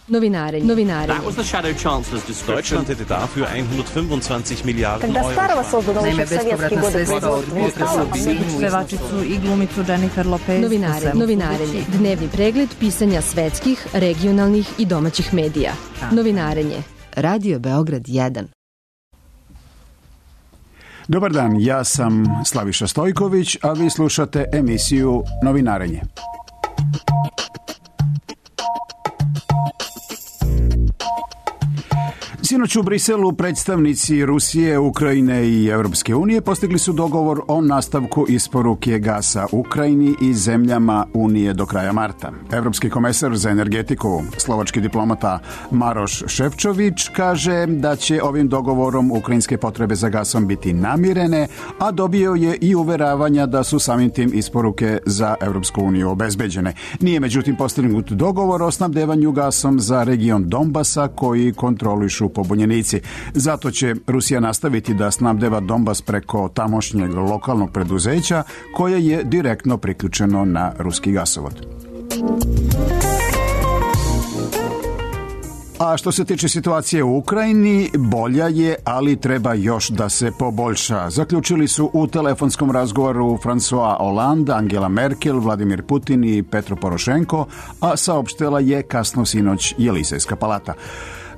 Novinare. That was the Shadow Chancellor's description. Deutschland hätte dafür 125 Miliarden Когда старого создано Naime, еще в советские годы производства, pevačicu i glumicu Jennifer Lopez. Novinarenje. Dnevni pregled pisanja svetskih, regionalnih i domaćih medija. Novinarenje. Radio Beograd 1. Dobar dan, ja sam Slaviša Stojković, a vi slušate emisiju Novinarenje. Sinoć u Briselu predstavnici Rusije, Ukrajine i Europske unije postigli su dogovor o nastavku isporuke gasa Ukrajini i zemljama Unije do kraja marta. Evropski komesar za energetiku, slovački diplomata Maroš Šefčović, kaže da će ovim dogovorom ukrajinske potrebe za gasom biti namirene, a dobio je i uveravanja da su samim tim isporuke za Evropsku uniju obezbeđene. Nije međutim postignut dogovor o snabdevanju gasom za region Donbasa koji kontrolišu pobunjenici. Zato će Rusija nastaviti da snabdeva Donbas preko tamošnjeg lokalnog preduzeća koje je direktno priključeno na ruski gasovod. A što se tiče situacije u Ukrajini, bolja je, ali treba još da se poboljša. Zaključili su u telefonskom razgovoru François Hollande, Angela Merkel, Vladimir Putin i Petro Porošenko, a saopštila je kasno sinoć Jelisejska palata.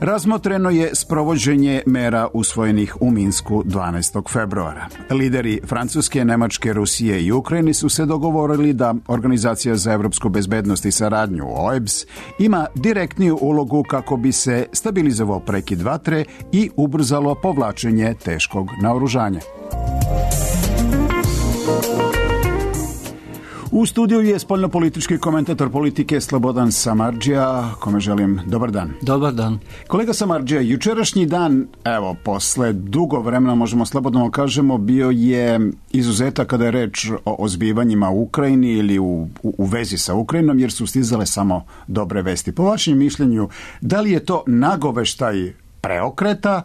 Razmotreno je sprovođenje mera usvojenih u Minsku 12. februara. Lideri Francuske, Nemačke, Rusije i Ukrajine su se dogovorili da Organizacija za evropsku bezbednost i saradnju OEBS ima direktniju ulogu kako bi se stabilizovao prekid vatre i ubrzalo povlačenje teškog naoružanja. U studiju je spoljnopolitički komentator politike Slobodan Samardžija, kome želim dobar dan. Dobar dan. Kolega Samardžija, jučerašnji dan, evo, posle dugo vremena, možemo slobodno kažemo, bio je izuzetak kada je reč o zbivanjima u Ukrajini ili u vezi sa Ukrajinom, jer su stizale samo dobre vesti. Po vašem mišljenju, da li je to nagoveštaj preokreta,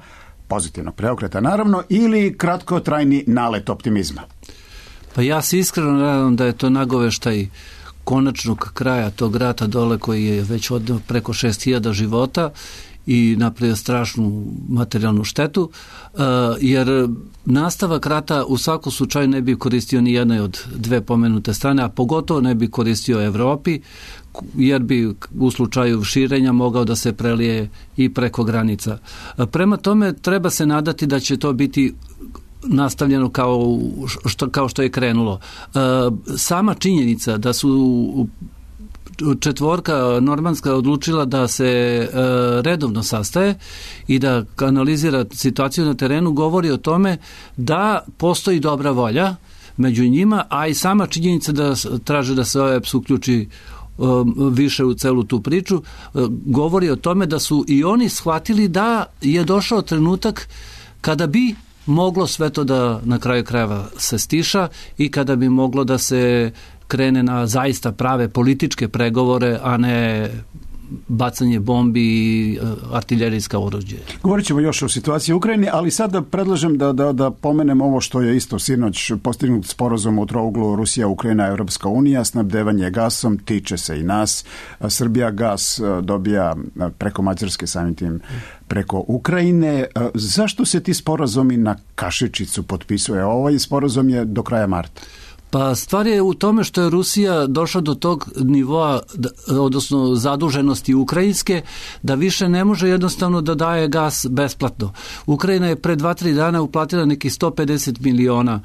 pozitivnog preokreta naravno, ili kratkotrajni nalet optimizma? Pa ja se iskreno nadam da je to nagoveštaj konačnog kraja tog rata dole koji je već odneo preko 6.000 života i napravio strašnu materijalnu štetu, jer nastavak rata u svakom slučaju ne bi koristio ni jednoj od dve pomenute strane, a pogotovo ne bi koristio Evropi, jer bi u slučaju širenja mogao da se prelije i preko granica. Prema tome treba se nadati da će to biti nastavljeno kao što je krenulo. Sama činjenica da su četvorka normanska odlučila da se redovno sastaje i da analizira situaciju na terenu govori o tome da postoji dobra volja među njima, a i sama činjenica da traže da se OEBS uključi više u celu tu priču govori o tome da su i oni shvatili da je došao trenutak kada bi moglo sve to da na kraju krajeva se stiša i kada bi moglo da se krene na zaista prave političke pregovore, a ne bacanje bombi i artiljerijska oruđe. Govorit ćemo još o situaciji u Ukrajini, ali sada predlažem da pomenem ovo što je isto sinoć postignut sporazum u trouglu Rusija, Ukrajina, Europska unija, snabdevanje gasom, tiče se i nas. Srbija gas dobija preko Mađarske, samim tim preko Ukrajine. Zašto se ti sporazumi na kašičicu potpisuje? Ovaj sporazum je do kraja marta. Pa stvar je u tome što je Rusija došla do tog nivoa, odnosno zaduženosti ukrajinske, da više ne može jednostavno da daje gas besplatno. Ukrajina je pre 2-3 dana uplatila neki $150 miliona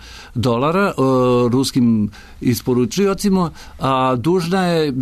ruskim isporučiocima, a dužna je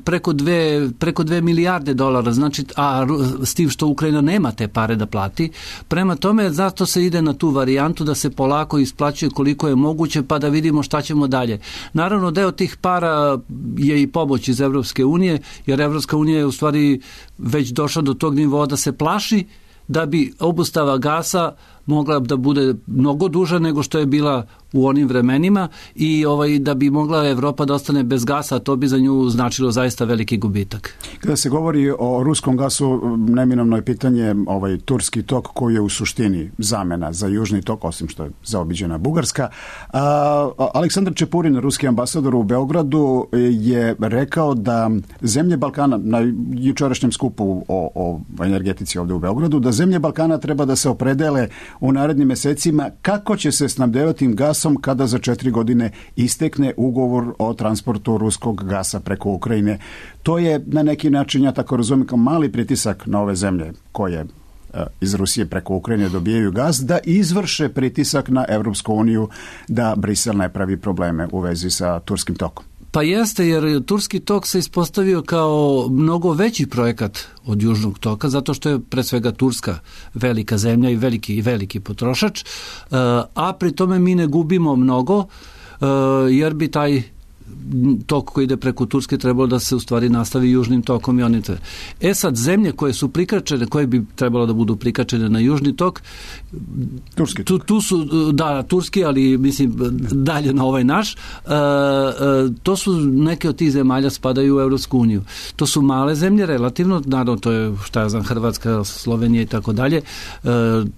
preko 2 milijarde dolara, znači, a s tim što Ukrajina nema te pare da plati. Prema tome, zato se ide na tu varijantu da se polako isplaćuje koliko je moguće, pa da vidimo šta ćemo dalje. Naravno, deo tih para je i pomoć iz Evropske unije, jer Evropska unija je u stvari već došla do tog nivoa da se plaši da bi obustava gasa mogla da bude mnogo duža nego što je bila u onim vremenima i da bi mogla Evropa da ostane bez gasa, to bi za nju značilo zaista veliki gubitak. Kada se govori o ruskom gasu, neminovno je pitanje turski tok koji je u suštini zamena za južni tok, osim što je zaobiđena Bugarska. Aleksandar Čepurin, ruski ambasador u Beogradu, je rekao da zemlje Balkana, na jučerašnjem skupu o energetici ovdje u Beogradu, da zemlje Balkana treba da se opredele u narednim mesecima kako će se snabdevati gasom kada za 4 godine istekne ugovor o transportu ruskog gasa preko Ukrajine. To je na neki način, ja tako razumijem, kao mali pritisak na ove zemlje koje iz Rusije preko Ukrajine dobijaju gas, da izvrše pritisak na Evropsku uniju da Brisel ne pravi probleme u vezi sa turskim tokom. Pa jeste, jer turski tok se ispostavio kao mnogo veći projekat od južnog toka, zato što je pre svega Turska velika zemlja i veliki potrošač, a pri tome mi ne gubimo mnogo, jer bi taj tok koji ide preko Turske trebalo da se u stvari nastavi južnim tokom i onim te. Sad, zemlje koje su prikačene, koje bi trebalo da budu prikačene na južni tok, turski tok. Tu su, da, turski, ali mislim dalje na ovaj naš, to su neke od tih zemalja spadaju u Evropsku uniju. To su male zemlje relativno, naravno to je, šta ja znam, Hrvatska, Slovenija i tako dalje,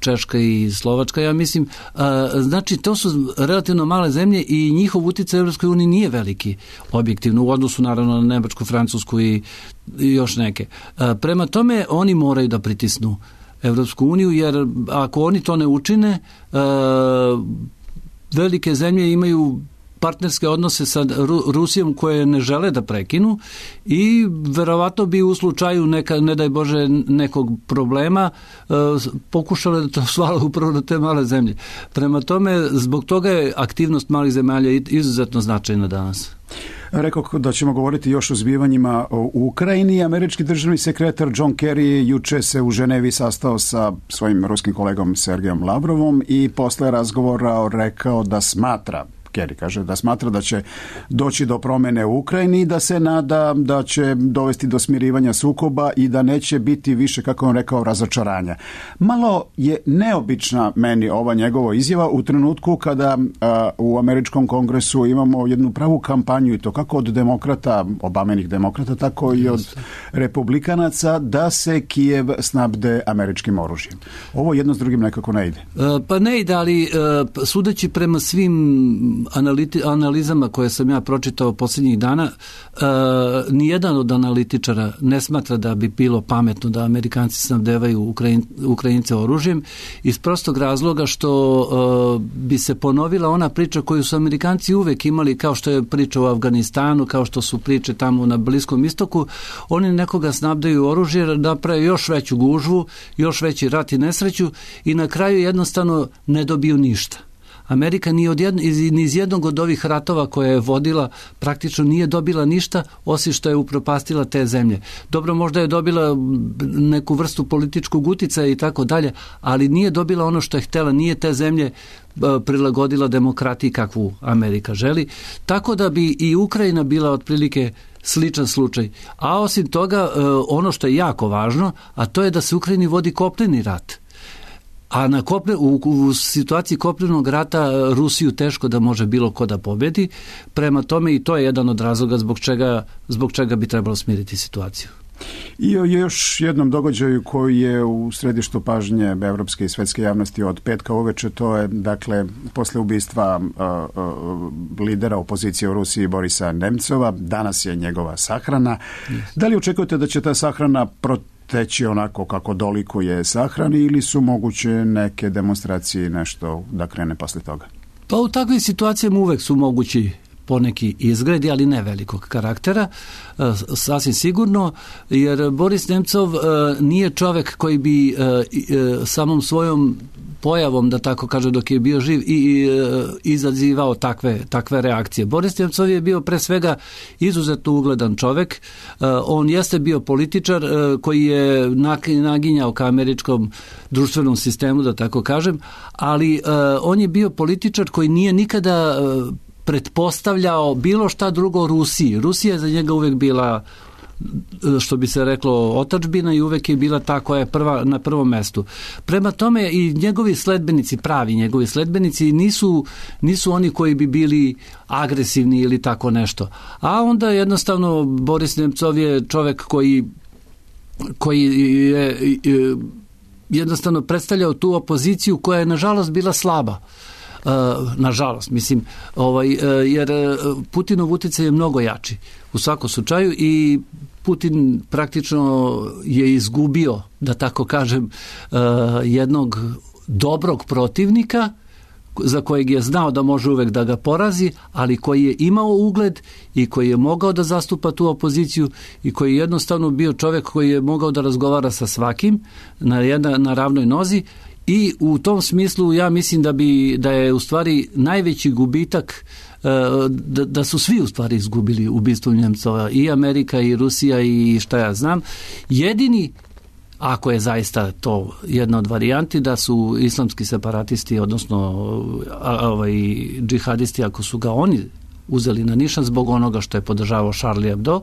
Češka i Slovačka, ja mislim. Znači, to su relativno male zemlje i njihov uticaj u Evropskoj uniji nije veliki, objektivno, u odnosu naravno na Nemačku, Francusku i još neke. Prema tome, oni moraju da pritisnu Evropsku uniju, jer ako oni to ne učine, velike zemlje imaju partnerske odnose sa Rusijom koje ne žele da prekinu i verovatno bi u slučaju ne daj Bože nekog problema pokušale da to svale upravo na te male zemlje. Prema tome, zbog toga je aktivnost malih zemalja izuzetno značajna danas. Rekao da ćemo govoriti još o zbivanjima u Ukrajini. Američki državni sekretar John Kerry juče se u Ženevi sastao sa svojim ruskim kolegom Sergejom Lavrovom i posle razgovora rekao da smatra, Kerry kaže da smatra da će doći do promene u Ukrajini i da se nada da će dovesti do smirivanja sukoba i da neće biti više, kako on rekao, razočaranja. Malo je neobična meni ova njegova izjava u trenutku kada u američkom kongresu imamo jednu pravu kampanju, i to kako od demokrata, Obamenih demokrata, tako i od republikanaca, da se Kijev snabde američkim oružjem. Ovo jedno s drugim nekako ne ide. Pa ne ide, ali sudeći prema svim analizama koje sam ja pročitao posljednjih dana, nijedan od analitičara ne smatra da bi bilo pametno da Amerikanci snabdevaju Ukrajince oružjem, iz prostog razloga što bi se ponovila ona priča koju su Amerikanci uvek imali, kao što je priča u Afganistanu, kao što su priče tamo na Bliskom istoku. Oni nekoga snabdaju oružje, naprave još veću gužvu, još veći rat i nesreću i na kraju jednostavno ne dobiju ništa. Amerika ni iz jednog od ovih ratova koje je vodila praktično nije dobila ništa, osim što je upropastila te zemlje. Dobro, možda je dobila neku vrstu političkog uticaja i tako dalje, ali nije dobila ono što je htjela, nije te zemlje prilagodila demokratiji kakvu Amerika želi. Tako da bi i Ukrajina bila otprilike sličan slučaj. A osim toga, ono što je jako važno, a to je da se Ukrajini vodi kopneni rat. A u situaciji kopnenog rata Rusiju teško da može bilo ko da pobedi. Prema tome i to je jedan od razloga zbog čega bi trebalo smiriti situaciju. I o još jednom događaju koji je u središtu pažnje evropske i svetske javnosti od petka uveče, to je dakle posle ubistva lidera opozicije u Rusiji Borisa Nemcova. Danas je njegova sahrana. Da li očekujete da će ta sahrana teći onako kako dolikuje sahrani ili su moguće neke demonstracije, nešto da krene posle toga? Pa u takvim situacijama uvek su mogući poneki izgredi, ali ne velikog karaktera, sasvim sigurno, jer Boris Nemcov nije čovek koji bi samom svojom pojavom, da tako kaže, dok je bio živ i izazivao takve reakcije. Boris Nemcov je bio pre svega izuzetno ugledan čovek. On jeste bio političar koji je naginjao ka američkom društvenom sistemu, da tako kažem, ali on je bio političar koji nije nikada pretpostavljao bilo šta drugo Rusiji. Rusija je za njega uvek bila što bi se reklo, otadžbina i uvek je bila ta koja je na prvom mestu. Prema tome i njegovi sledbenici, pravi njegovi sledbenici nisu oni koji bi bili agresivni ili tako nešto. A onda jednostavno Boris Nemcov je čovek koji je jednostavno predstavljao tu opoziciju koja je nažalost bila slaba. Nažalost, mislim, jer Putinov utjecaj je mnogo jači u svakom slučaju i Putin praktično je izgubio, da tako kažem, jednog dobrog protivnika za kojeg je znao da može uvek da ga porazi, ali koji je imao ugled i koji je mogao da zastupa tu opoziciju i koji je jednostavno bio čovjek koji je mogao da razgovara sa svakim na ravnoj nozi. I u tom smislu ja mislim da je u stvari najveći gubitak, da su svi u stvari izgubili ubistvom Nemcova, i Amerika i Rusija i šta ja znam. Jedini, ako je zaista to jedna od varijanti, da su islamski separatisti, odnosno džihadisti, ako su ga oni uzeli na nišan zbog onoga što je podržavao Charlie Hebdo,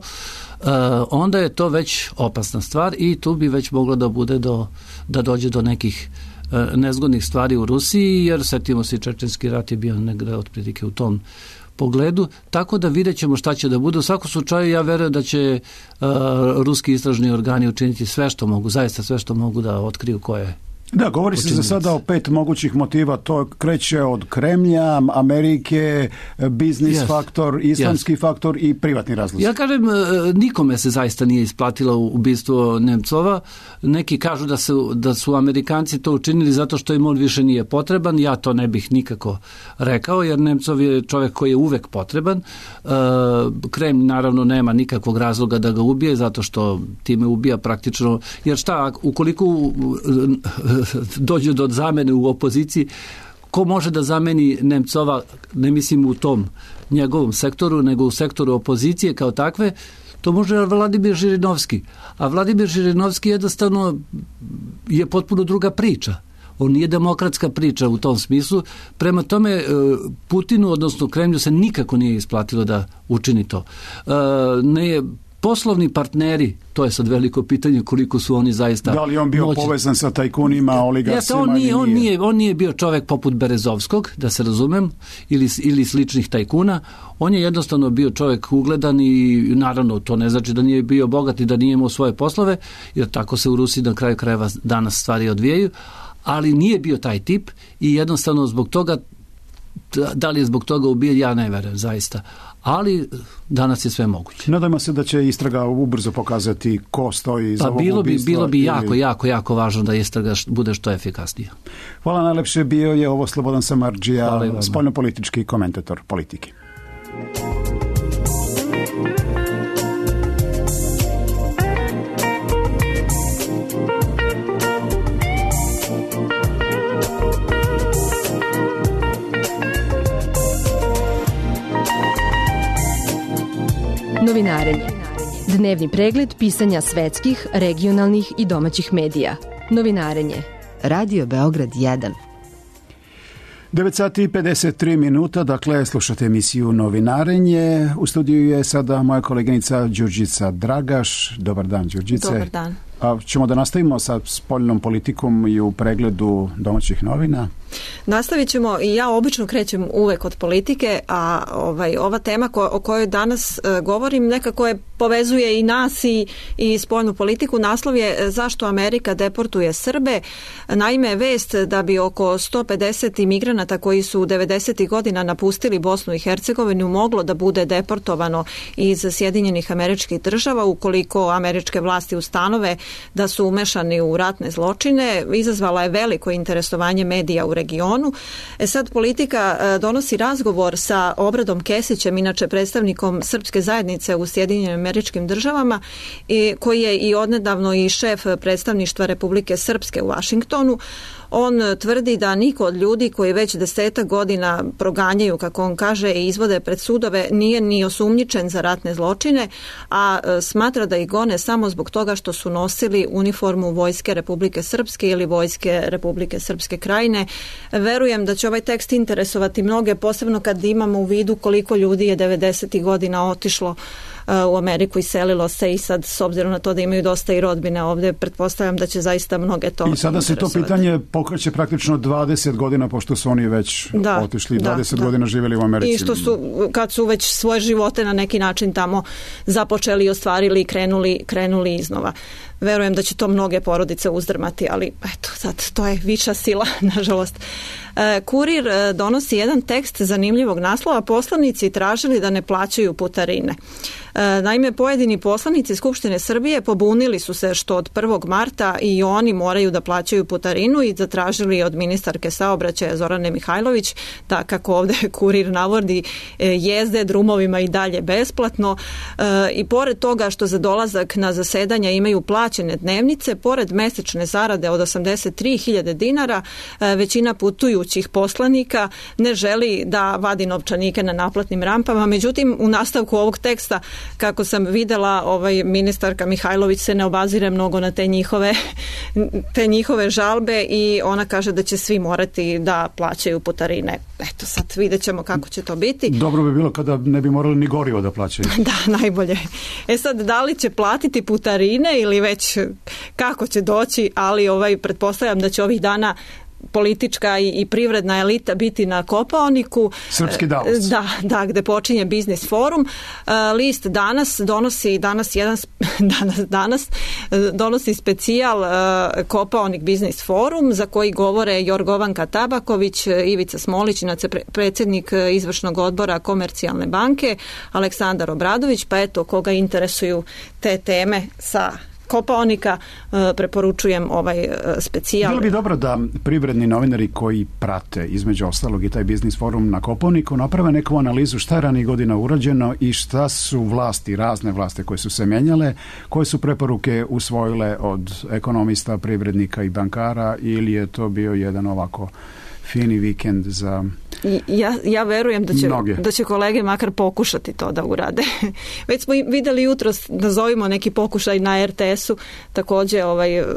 onda je to već opasna stvar i tu bi već moglo da bude da dođe do nekih nezgodnih stvari u Rusiji, jer setimo se, čečenski rat je bio negde otprilike u tom pogledu, tako da vidjet ćemo šta će da bude. U svakom slučaju ja verujem da će ruski istražni organi učiniti sve što mogu, zaista sve što mogu da otkriju ko je. Da, govori se za sada o 5 mogućih motiva, to kreće od Kremlja, Amerike, biznis faktor, islamski faktor i privatni razlozi. Ja kažem, nikome se zaista nije isplatilo ubistvo Nemcova. Neki kažu da su Amerikanci to učinili zato što im on više nije potreban. Ja to ne bih nikako rekao, jer Nemcov je čovjek koji je uvek potreban. Kremlj naravno nema nikakvog razloga da ga ubije, zato što time ubija praktično, jer šta, ukoliko dođe do zamene u opoziciji, ko može da zameni Nemcova, ne mislim u tom njegovom sektoru, nego u sektoru opozicije kao takve, to može Vladimir Žirinovski. A Vladimir Žirinovski jednostavno je potpuno druga priča. On nije demokratska priča u tom smislu. Prema tome, Putinu, odnosno Kremlju, se nikako nije isplatilo da učini to. Poslovni partneri, to je sad veliko pitanje koliko su oni zaista da li on bio povezan sa tajkunima, oligarsima? On nije bio čovjek poput Berezovskog, da se razumem, ili sličnih tajkuna. On je jednostavno bio čovjek ugledan i naravno to ne znači da nije bio bogat i da nije imao svoje poslove, jer tako se u Rusiji na kraju krajeva danas stvari odvijaju, ali nije bio taj tip i jednostavno zbog toga, da li je zbog toga ubijen, ja ne verujem zaista. Ali danas je sve moguće. Nadajmo se da će istraga ubrzo pokazati ko stoji za ovog ubistva. Bilo bi jako važno da istraga bude što efikasnija. Hvala najlepše, bio je ovo Slobodan Samardžija, spoljnopolitički komentator politike. Novinarenje. Dnevni pregled pisanja svetskih, regionalnih i domaćih medija. Novinarenje. Radio Beograd 1. 9 sati i 53 minuta, dakle slušate emisiju Novinarenje. U studiju je sada moja koleginica Đurđica Dragaš. Dobar dan, Đurđice. Dobar dan. Ćemo da nastavimo sa spoljnom politikom i u pregledu domaćih novina. Nastavit ćemo i ja obično krećem uvek od politike, a ova tema o kojoj danas govorim nekako je povezuje i nas i spoljnu politiku. Naslov je zašto Amerika deportuje Srbe. Naime, vest da bi oko 150 imigranata koji su 90. godina napustili Bosnu i Hercegovinu moglo da bude deportovano iz Sjedinjenih Američkih Država ukoliko američke vlasti ustanove da su umešani u ratne zločine, izazvala je veliko interesovanje medija u regionu. Sad politika donosi razgovor sa Obradom Kesićem, inače predstavnikom srpske zajednice u Sjedinjenim Američkim Državama, koji je i odnedavno i šef predstavništva Republike Srpske u Vašingtonu. On tvrdi da niko od ljudi koji već 10 godina proganjaju, kako on kaže, i izvode pred sudove nije ni osumnjičen za ratne zločine, a smatra da ih gone samo zbog toga što su nosili uniformu Vojske Republike Srpske ili Vojske Republike Srpske Krajine. Verujem da će ovaj tekst interesovati mnoge, posebno kad imamo u vidu koliko ljudi je 90. godina otišlo u Ameriku, iselilo se i sad s obzirom na to da imaju dosta i rodbine ovdje, pretpostavljam da će zaista mnoge to i sada se to pitanje pokreće praktično 20 godina, pošto su oni već otišli, 20 godina živjeli u Americi. I što su, kad su već svoje živote na neki način tamo započeli i ostvarili i krenuli iznova. Verujem da će to mnoge porodice uzdrmati, ali eto, sad to je viša sila, nažalost. Kurir donosi jedan tekst zanimljivog naslova: poslanici tražili da ne plaćaju putarine. Naime, pojedini poslanici Skupštine Srbije pobunili su se što od 1. marta i oni moraju da plaćaju putarinu i zatražili od ministarke saobraćaja Zorane Mihajlović da, kako ovdje Kurir navodi, jezde drumovima i dalje besplatno. I pored toga što za dolazak na zasedanja imaju plaćene dnevnice, pored mesečne zarade od 83.000 dinara, većina putujućih poslanika ne želi da vadi novčanike na naplatnim rampama. Međutim, u nastavku ovog teksta, kako sam videla, ministarka Mihajlović se ne obazire mnogo na te njihove žalbe i ona kaže da će svi morati da plaćaju putarine. Eto, sad vidjet ćemo kako će to biti. Dobro bi bilo kada ne bi morali ni gorivo da plaćaju. Da, najbolje. Sad, da li će platiti putarine ili već kako će doći, ali pretpostavljam da će ovih dana politička i privredna elita biti na Kopaoniku. Srpski Davos. Da, gde počinje Biznis forum. List danas donosi specijal Kopaonik Biznis forum, za koji govore Jorgovanka Tabaković, Ivica Smolić, predsjednik izvršnog odbora Komercijalne banke, Aleksandar Obradović, pa eto, koga interesuju te teme sa Kopaonika, preporučujem ovaj specijal. Bilo bi dobro da privredni novinari koji prate između ostalog i taj Biznis forum na Kopaoniku naprave neku analizu šta je ranijih godina urađeno i šta su razne vlasti koje su se menjale, koje su preporuke usvojile od ekonomista, privrednika i bankara, ili je to bio jedan ovako fini vikend za ja verujem da će kolege makar pokušati to da urade. Već smo vidjeli jutros, nazovimo neki pokušaj na RTS-u, također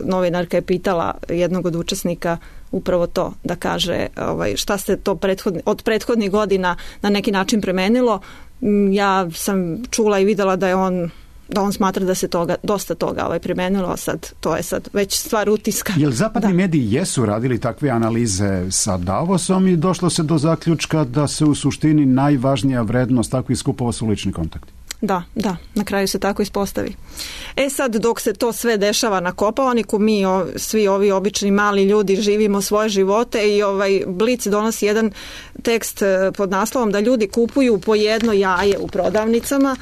novinarka je pitala jednog od učesnika upravo to, da kaže šta se to od prethodnih godina na neki način promenilo. Ja sam čula i vidjela da on smatra da se dosta toga primenilo, to je sad već stvar utiska. Jel zapadni mediji jesu radili takve analize sa Davosom i došlo se do zaključka da se u suštini najvažnija vrednost takvih skupova su lični kontakti? Da, na kraju se tako ispostavi. Sad, dok se to sve dešava na Kopaoniku, mi svi ovi obični mali ljudi živimo svoje živote i Blic donosi jedan tekst pod naslovom da ljudi kupuju po jedno jaje u prodavnicama,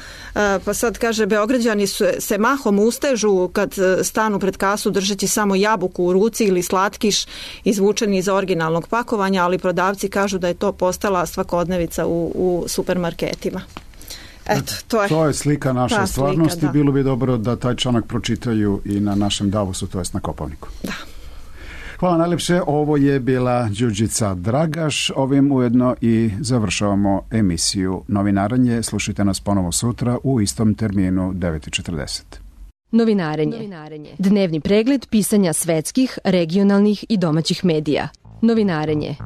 pa sad kaže, Beograđani se mahom ustežu kad stanu pred kasu držeći samo jabuku u ruci ili slatkiš izvučeni iz originalnog pakovanja, ali prodavci kažu da je to postala svakodnevica u supermarketima. Eto, to je slika naše stvarnosti. Bilo bi dobro da taj članak pročitaju i na našem Davosu, to jest na Kopaoniku. Da. Hvala najlepše. Ovo je bila Đurđica Dragaš. Ovim ujedno i završavamo emisiju Novinaranje. Slušajte nas ponovo sutra u istom terminu 9:40. Novinarenje. Dnevni pregled pisanja svetskih, regionalnih i domaćih medija. Novinarenje.